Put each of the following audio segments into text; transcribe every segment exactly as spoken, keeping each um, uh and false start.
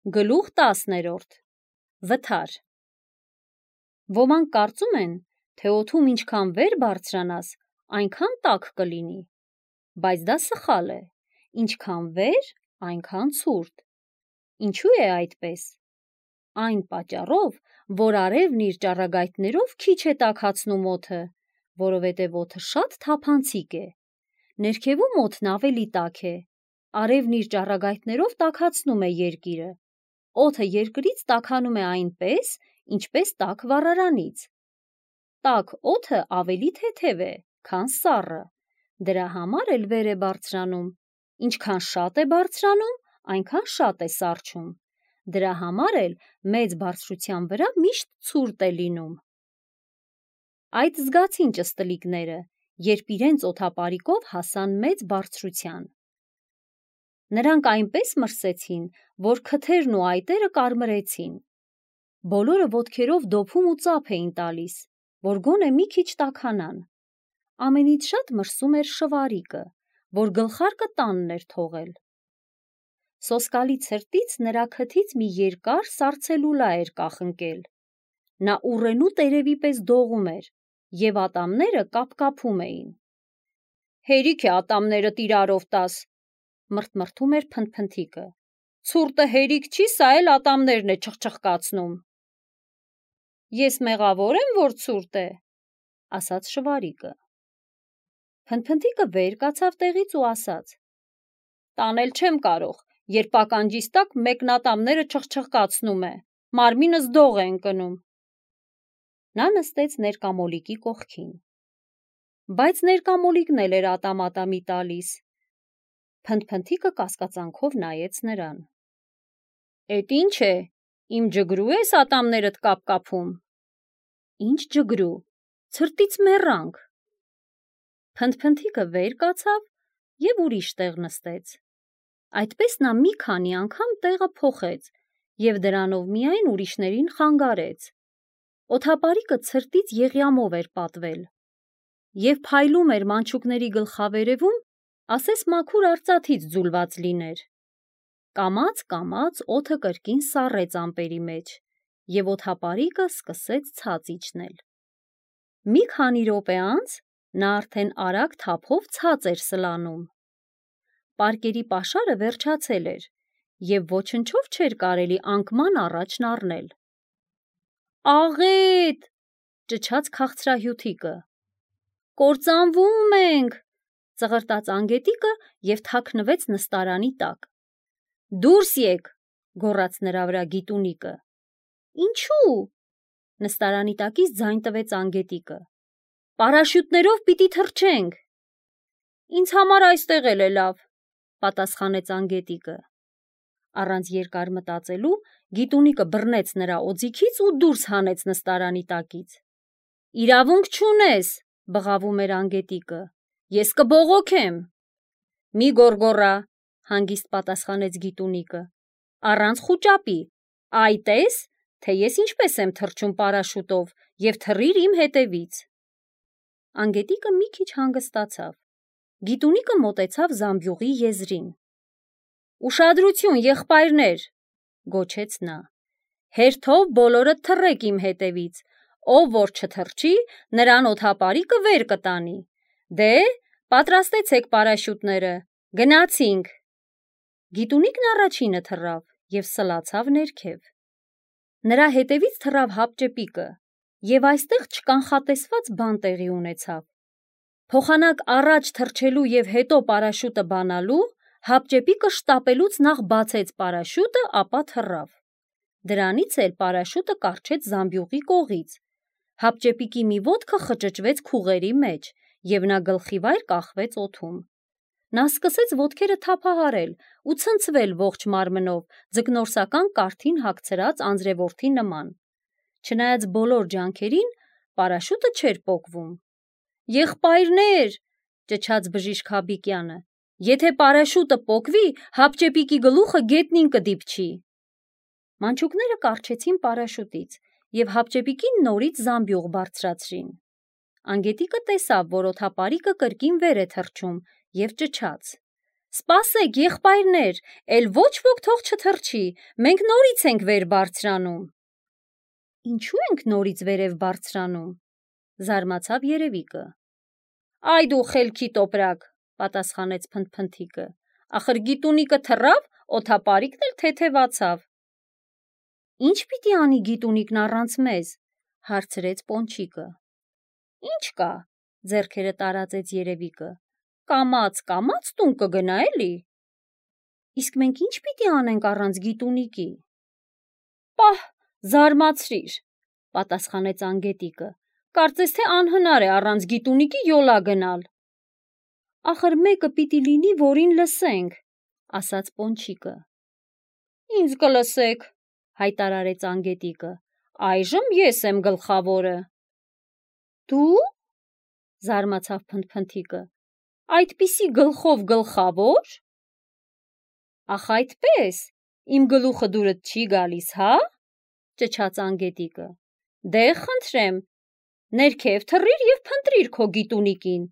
Գլուխ տասներորդ Վթար Ոմանք կարծում են, թե օդում ինչքան վեր բարձրանաս, այնքան տաք կլինի, բայց դա սխալ է, ինչքան վեր, այնքան ցուրտ։ Ինչու է այդպես։ Այն պատճառով, որ արևն իր ճառագայթներով քիչ է տաքացնում օդը, որովհետև օդը շատ թափանցիկ է։ Ներքևում օդն ավելի տաք է, արևն իր ճառագայթներով տաքացնում է երկիրը։ Օդը երկրից տաքանում է այնպես, ինչպես տաք վառարանից։ Տաք օդը ավելի թեթև է, քան սառը, դրա համար էլ վեր է բարձրանում, ինչքան շատ է բարձրանում, այնքան շատ է սառչում, դրա համար էլ մեծ բարձրության վրա միշտ ցուրտ է լինում։ Այդ զգացին ճստլիկները, երբ իրենց օդապարիկով հասան մեծ բարձրության։ Նրանք այնպես մրսեցին, որ քթերն ու այտերը կարմրեցին։ Բոլորը ոտքերով դոփում ու ծափ էին տալիս, որ գոնե մի քիչ տաքանան։ Ամենից շատ մրսում էր Շվարիկը, որ գլխարկը տանն էր թողել։ Սոսկալի ցրտից նրա քթից մի երկար սառցելուլա էր կախնկել։ Նա ուռենու տերևի պես դողում էր, և ատամները կապկապում էին։ Հերիք է ատամներդ իրարով տաս, մրթմրթում էր Փնթփնթիկը։ Ցուրտը հերիք չի, սա էլ ատամներն է չխչխկացնում։ Ես մեղավոր եմ, որ ցուրտ է, ասաց Շվարիկը։ Փնթփնթիկը վեր կացավ տեղից ու ասաց. Տանել չեմ կարող, երբ ականջիս տակ մեկն ատամները չխչխկացնում է, մարմինս դող է ընկնում։ Նա նստեց ներկամոլիկի կողքին։ Բայց ներկամոլիկն էլ էր ատամ-ատամի տալիս։ Փնթփնթիկը կասկածանքով նայեց նրան։ Էդ ինչ է, իմ ջգրու ես ատամներդ կապկապում։ Ինչ ջգրու, ցրտից մեռանք։ Փնթփնթիկը վեր կացավ և ուրիշ տեղ նստեց։ Այդպես նա մի քանի անգամ տեղը փոխեց և դրանով միայն ուրիշներին խանգարեց։ Օդապարիկը ցրտից եղյամով էր պատվել և փայլում էր մանչուկների գլխավերևում, ասես մաքուր արծաթից ձուլված լիներ։ Կամաց-կամաց օդը կրկին սառեց ամպերի մեջ, և օդապարիկը սկսեց ցած իջնել։ Մի քանի րոպե անց նա արդեն արագ թափով ցած էր սլանում։ Պարկերի պաշարը վերջացել էր, և ոչնչով չէր կարելի անկման առաջն առնել։ Աղետ, ճչաց քաղցրահյութիկը։ Կործանվում ենք, ծղրտաց անգետիկը և թաքնվեց նստարանի տակ։ Դուրս եկ, գոռաց նրա վրա գիտունիկը։ Ինչու՞։ Նստարանի տակից ձայն տվեց անգետիկը։ Պարաշյուտներով պիտի թռչենք։ Ինձ համար այստեղ էլ է լավ, պատասխանեց անգետիկը։ Առանց երկար մտածելու գիտունիկը բռնեց նրա օձիքից ու դուրս հանեց նստարանի տակից։ Իրավունք չունես, բղավում էր անգետիկը, ես կբողոքեմ։ Մի գոռգոռա, հանգիստ պատասխանեց գիտունիկը, առանց խուճապի, այ տես, թե ես ինչպես եմ թռչում պարաշուտով և թռիր իմ հետևից։ Անգետիկը մի քիչ հանգստացավ։ Գիտունիկը մոտեցավ զամբյուղի եզրին։ Ուշադրություն, եղբայրներ, գոչեց նա, հերթով բոլորդ թռեք իմ հետևից, ով որ չթռչի, նրան օդապարիկը վեր կտանի։ Դե, պատրաստեցեք պարաշյուտները, գնացինք։ Գիտունիկն առաջինը թռավ և սլացավ ներքև։ Նրա հետևից թռավ հապճեպիկը, և այստեղ չկանխատեսված բան տեղի ունեցավ։ Փոխանակ առաջ թռչելու և հետո պարաշուտը բանալու, հապճեպիկը շտապելուց նախ բացեց պարաշուտը, ապա թռավ։ Դրանից էլ պարաշուտը կառչեց զամբյուղի կողից։ Հապճեպիկի մի ոտքը խճճվեց քուղերի մեջ, և նա գլխիվայր կախվեց օդում։ Նա սկսեց ոտքերը թափահարել ու ցնցվել ողջ մարմնով, ձկնորսական կառթին հագցրած անձրևորդի նման։ Չնայած բոլոր ջանքերին, պարաշուտը չէր պոկվում։ Եղբայրներ, ճչաց բժիշկ Հաբիկյանը, եթե պարաշուտը պոկվի, հապճեպիկի գլուխը գետնին կդիպչի։ Մանչուկները կառչեցին պարաշուտից և հապճեպիկին նորից զամբյուղ բարձրացրին։ Անգետիկը տեսավ, որ օդապարիկը կրկին վեր է թռչում և ճչաց. Սպասեք, եղբայրներ, էլ ոչ ոք թող չթռչի, մենք նորից ենք վեր բարձրանում։ Ինչու ենք նորից վերև բարձրանում, զարմացավ երևիկը։ Այ դու խելքի տոպրակ, պատասխանեց Փնթփնթիկը, ախր գիտունիկը թռավ, օդապարիկն էլ թեթևացավ։ Ինչ պիտի անի գիտունիկն առանց մեզ, հարցրեց Պոնչիկը։ Ինչ կա, ձեռքերը տարածեց երևիկը, կամաց, կամաց տուն կգնա էլի։ Իսկ մենք ինչ պիտի անենք առանց գիտունիկի։ Պահ, զարմացրիր, պատասխանեց Անգետիկը, կարծես թե անհնար է առանց գիտունիկի յոլա գնալ։ Ախր մեկը պիտի լինի, որին լսենք, ասաց Պոնչիկը։ Ինձ կլսեք, հայտարարեց Անգետիկը, այժմ ես եմ գլխավորը։ Դու, զարմացավ Փնթփնթիկը, այդպիսի գլխով գլխավոր։ Ախ այդպես, իմ գլուխը դուրդ չի գալիս, հա, ճչաց Անգետիկը, դե խնդրեմ, ներքև թռիր և փնտրիր քո գիտունիկին,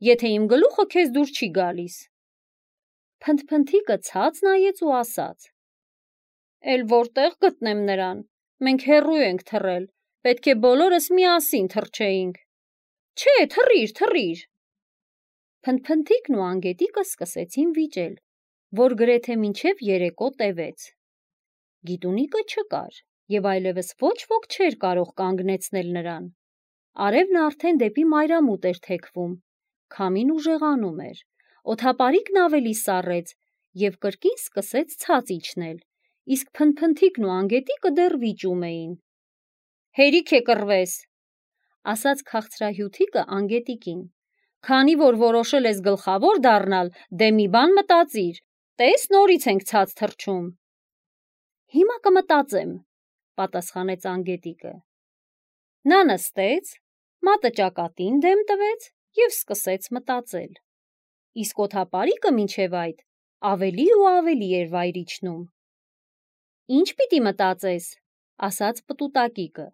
եթե իմ գլուխը քեզ դուր չի գալիս։ Փնթփնթիկը ցած նայեց ու ասաց. Էլ որտեղ գտնեմ նրան, մենք հեռու ենք թռել, պետք է բոլորս միասին թռչեինք։ Չէ, թռիր, թռիր։ Փնթփնթիկն ու Անգետիկը սկսեցին վիճել, որ գրեթե մինչև երեկո տևեց։ Գիտունիկը չկար, և այլևս ոչ ոք չէր կարող կանգնեցնել նրան։ Արևն արդեն դեպի մայրամուտ էր թեքվում, քամին ուժեղանում էր, օդապարիկն ավելի սառեց և կրկին սկսեց ցած իջնել, իսկ Փնթփնթիկն ու Անգետիկը դեռ վիճում էին։ Հերիք է կռվես, ասաց քաղցրահյութիկը Անգետիկին, քանի որ որոշել ես գլխավոր դառնալ, դե մի բան մտածիր, տես նորից ենք ցած թռչում։ Հիմա կմտածեմ, պատասխանեց Անգետիկը։ Նա նստեց, մատը ճակատին դեմ տվեց և սկսեց մտածել։ Իսկ օդապարիկը մինչև այդ ավելի ու ավելի էր վայր իջնում։ Ինչ պիտի մտածես, ասաց պտուտակիկը։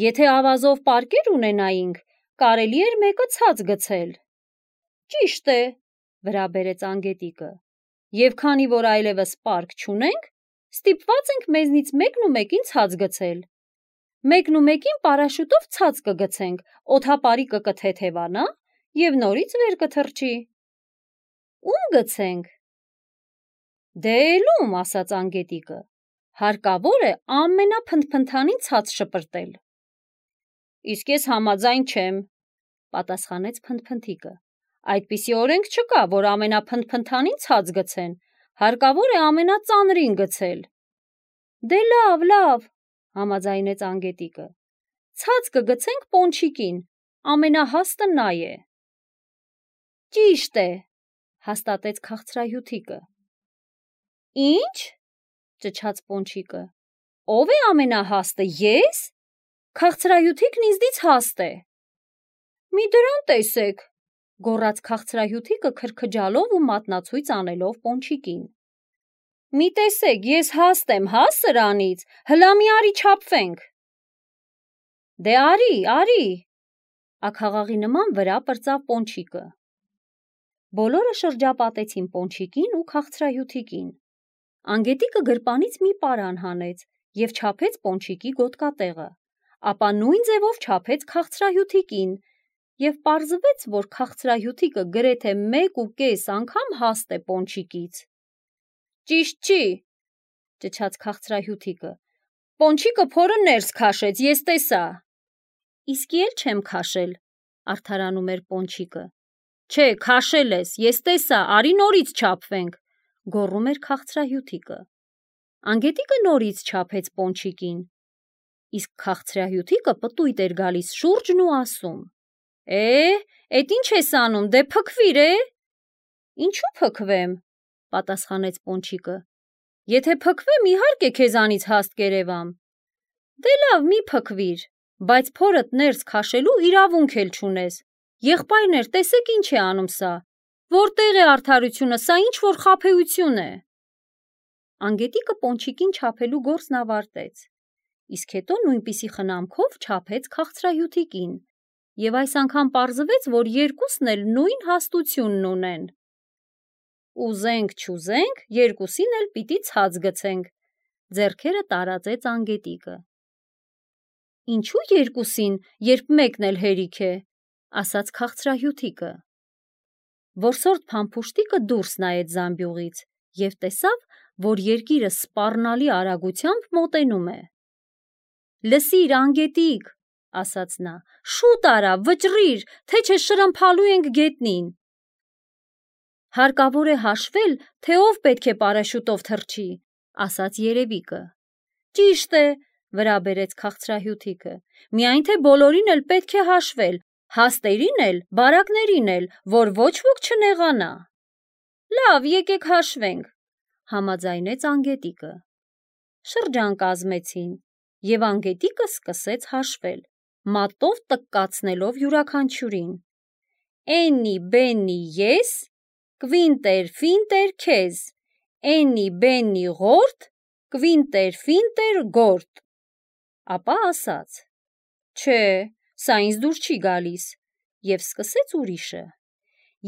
Եթե ավազով պարկեր ունենայինք, կարելի էր մեկը ցած գցել։ Ճիշտ է, վրա բերեց Անգետիկը, և քանի որ այլևս պարկ չունենք, ստիպված ենք մեզնից մեկն ու մեկին ցած գցել։ Մեկն ու մեկին պարաշուտով ցած կգցենք, օդապարիկը կթեթևանա և նորից վեր կթռչի։ Ում գցենք։ Դե էլում, ասաց Անգետիկը, հարկավոր է ամենափնթփնթանին ցած շպրտել։ Իսկ ես համաձայն չեմ, պատասխանեց Փնթփնթիկը, այդպիսի օրենք չկա, որ ամենափնթփնթանին ցած գցեն, հարկավոր է ամենածանրին գցել։ Դե լավ, լավ, համաձայնեց Անգետիկը, ցած կգցենք Պոնչիկին, ամենահաստը նա է։ Ճիշտ է, հաստատեց քաղցրահյութիկը։ Ինչ, ճչաց Պոնչիկը, ով է ամենահաստը, ես։ Քաղցրահյութիկն ինձնից հաստ է։ Մի դրան տեսեք, գոռաց քաղցրահյութիկը քրքջալով ու մատնացույց անելով Պոնչիկին։ Մի տեսեք, ես հաստ եմ, հա սրանից, հլա մի արի չափվենք։ Դե արի, արի, աքաղաղի նման վրա պրծավ Պոնչիկը։ Բոլորը շրջապատեցին Պոնչիկին ու քաղցրահյութիկին։ Անգետիկը գրպանից մի պարան հանեց և չափեց Պոնչիկի գոտկատեղը, ապա նույն ձևով չափեց քաղցրահյութիկին, և պարզվեց, որ քաղցրահյութիկը գրեթե մեկ ու կես անգամ հաստ է Պոնչիկից։ Ճիշտ չի, ճչաց քաղցրահյութիկը, Պոնչիկը փորը ներս քաշեց, ես տեսա։ Իսկի էլ չեմ քաշել, արդարանում էր Պոնչիկը։ Չէ, քաշել ես, ես տեսա, արի նորից չափվենք, գոռում էր քաղցրահյութիկը։ Անգետիկը նորից չափեց Պոնչիկին, իսկ քաղցրահյութիկը պտույտ էր գալիս շուրջն ու ասում. Է, էդ ինչ ես անում, դե փքվիր է։ Ինչու փքվեմ, պատասխանեց Պոնչիկը, եթե փքվեմ, իհարկե քեզանից հաստ կերևամ։ Դե լավ, մի փքվիր, բայց փորդ ներս քաշելու իրավունք էլ չունես։ Եղբայրներ, տեսեք ինչ է անում սա, որտեղ է արդարությունը, սա ինչ որ խաբեություն է։ Անգետիկը Պոնչիկին չափելու գործն ավարտեց, իսկ հետո նույնպիսի խնամքով չափեց քաղցրահյութիկին, և այս անգամ պարզվեց, որ երկուսն էլ նույն հաստությունն ունեն։ ուզենք չուզենք, երկուսին էլ պիտի ցած գցենք, ձեռքերը տարածեց անգետիկը։ Ինչու երկուսին, երբ մեկն էլ հերիք է, ասաց քաղցրահյութիկը։ Որսորդ փամփուշտիկը դուրս նայեց զամբյուղից և տեսավ, որ երկիրը սպառնալի արագությամբ մոտենում է։ Լսիր, անգետիկ, ասաց նա, շուտ արա, վճռիր, թե չէ շրմփալու ենք գետնին։ Հարկավոր է հաշվել, թե ով պետք է պարաշուտով թռչի, ասաց երևիկը։ Ճիշտ է, վրա բերեց քաղցրահյութիկը, միայն թե բոլորին էլ պետք է հաշվել, հաստերին էլ, բարակներին էլ, որ ոչ ոք չնեղանա։ Լավ, եկեք հաշվենք, համաձայնեց անգետիկը։ Շրջան կազմեցին, և անգետիկը սկսեց հաշվել, մատով տկկացնելով յուրաքանչյուրին։ Էննի բեննի ես, կվինտեր ֆինտեր քեզ, էննի բեննի ղորդ, կվինտեր ֆինտեր գորդ։ Ապա ասաց. Չէ, սա ինձ դուր չի գալիս, և սկսեց ուրիշը.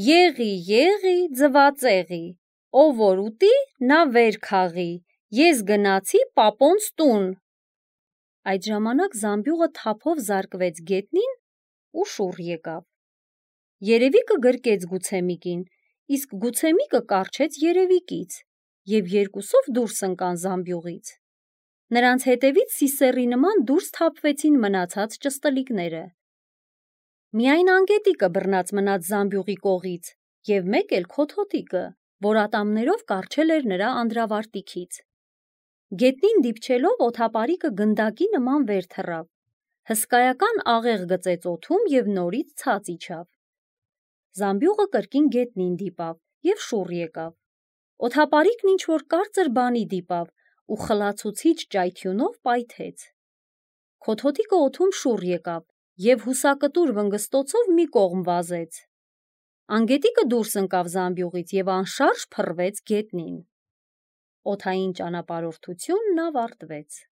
Եղի, եղի, ձվածեղի, ով որ ուտի, նա վեր քաղի, ես գնացի պապոնց տուն։ Այդ ժամանակ զամբյուղը թափով զարկվեց գետնին ու շուռ եկավ։ Երևիկը գրկեց Գուցեմիկին, իսկ Գուցեմիկը կառչեց երևիկից, և երկուսով դուրս ընկան զամբյուղից։ Նրանց հետևից սիսեռի նման դուրս թափվեցին մնացած ճստլիկները։ Միայն անգետիկը բռնած մնաց զամբյուղի կողից, և մեկ էլ քոթոթիկը, որ ատամներով կառչել էր նրա անդրավարտիքից։ Գետնին դիպչելով օդապարիկը գնդակի նման վեր թռավ, հսկայական աղեղ գծեց օդում և նորից ցած իջավ։ Զամբյուղը կրկին գետնին դիպավ և շուռ եկավ։ Օդապարիկն ինչ-որ կարծր բանի դիպավ ու խլացուցիչ ճայթյունով պայթեց։ Քոթոթիկը օդում շուռ եկավ և հուսակտուր վնգստոցով մի կողմ վազեց։ Անգետիկը դուրս ընկավ զամբյուղից և անշարժ փռվեց գետնին։ Օդային ճանապարհորդությունն ավարտվեց։